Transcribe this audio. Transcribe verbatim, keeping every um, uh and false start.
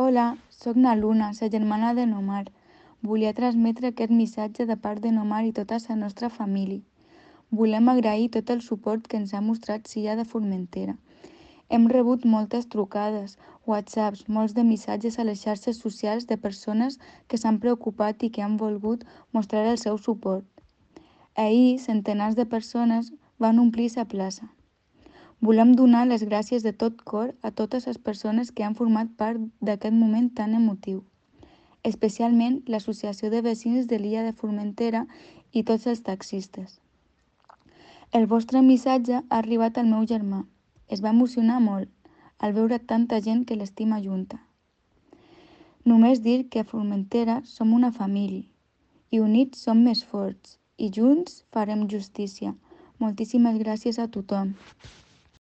Hola, sóc na Luna, la germana de Nomar. Volia transmetre aquest missatge de part de Nomar i tota la nostra família. Volem agrair tot el suport que ens ha mostrat Sia de Formentera. Hem rebut moltes trucades, whatsapps, molts de missatges a les xarxes socials de persones que s'han preocupat i que han volgut mostrar el seu suport. Ahir, centenars de persones van omplir la plaça. Volem donar les gràcies de tot cor a totes les persones que han format part d'aquest moment tan emotiu, especialment l'Associació de Veïns de l'illa de Formentera i tots els taxistes. El vostre missatge ha arribat al meu germà. Es va emocionar molt al veure tanta gent que l'estima junta. Només dir que a Formentera som una família i units som més forts i junts farem justícia. Moltíssimes gràcies a tothom.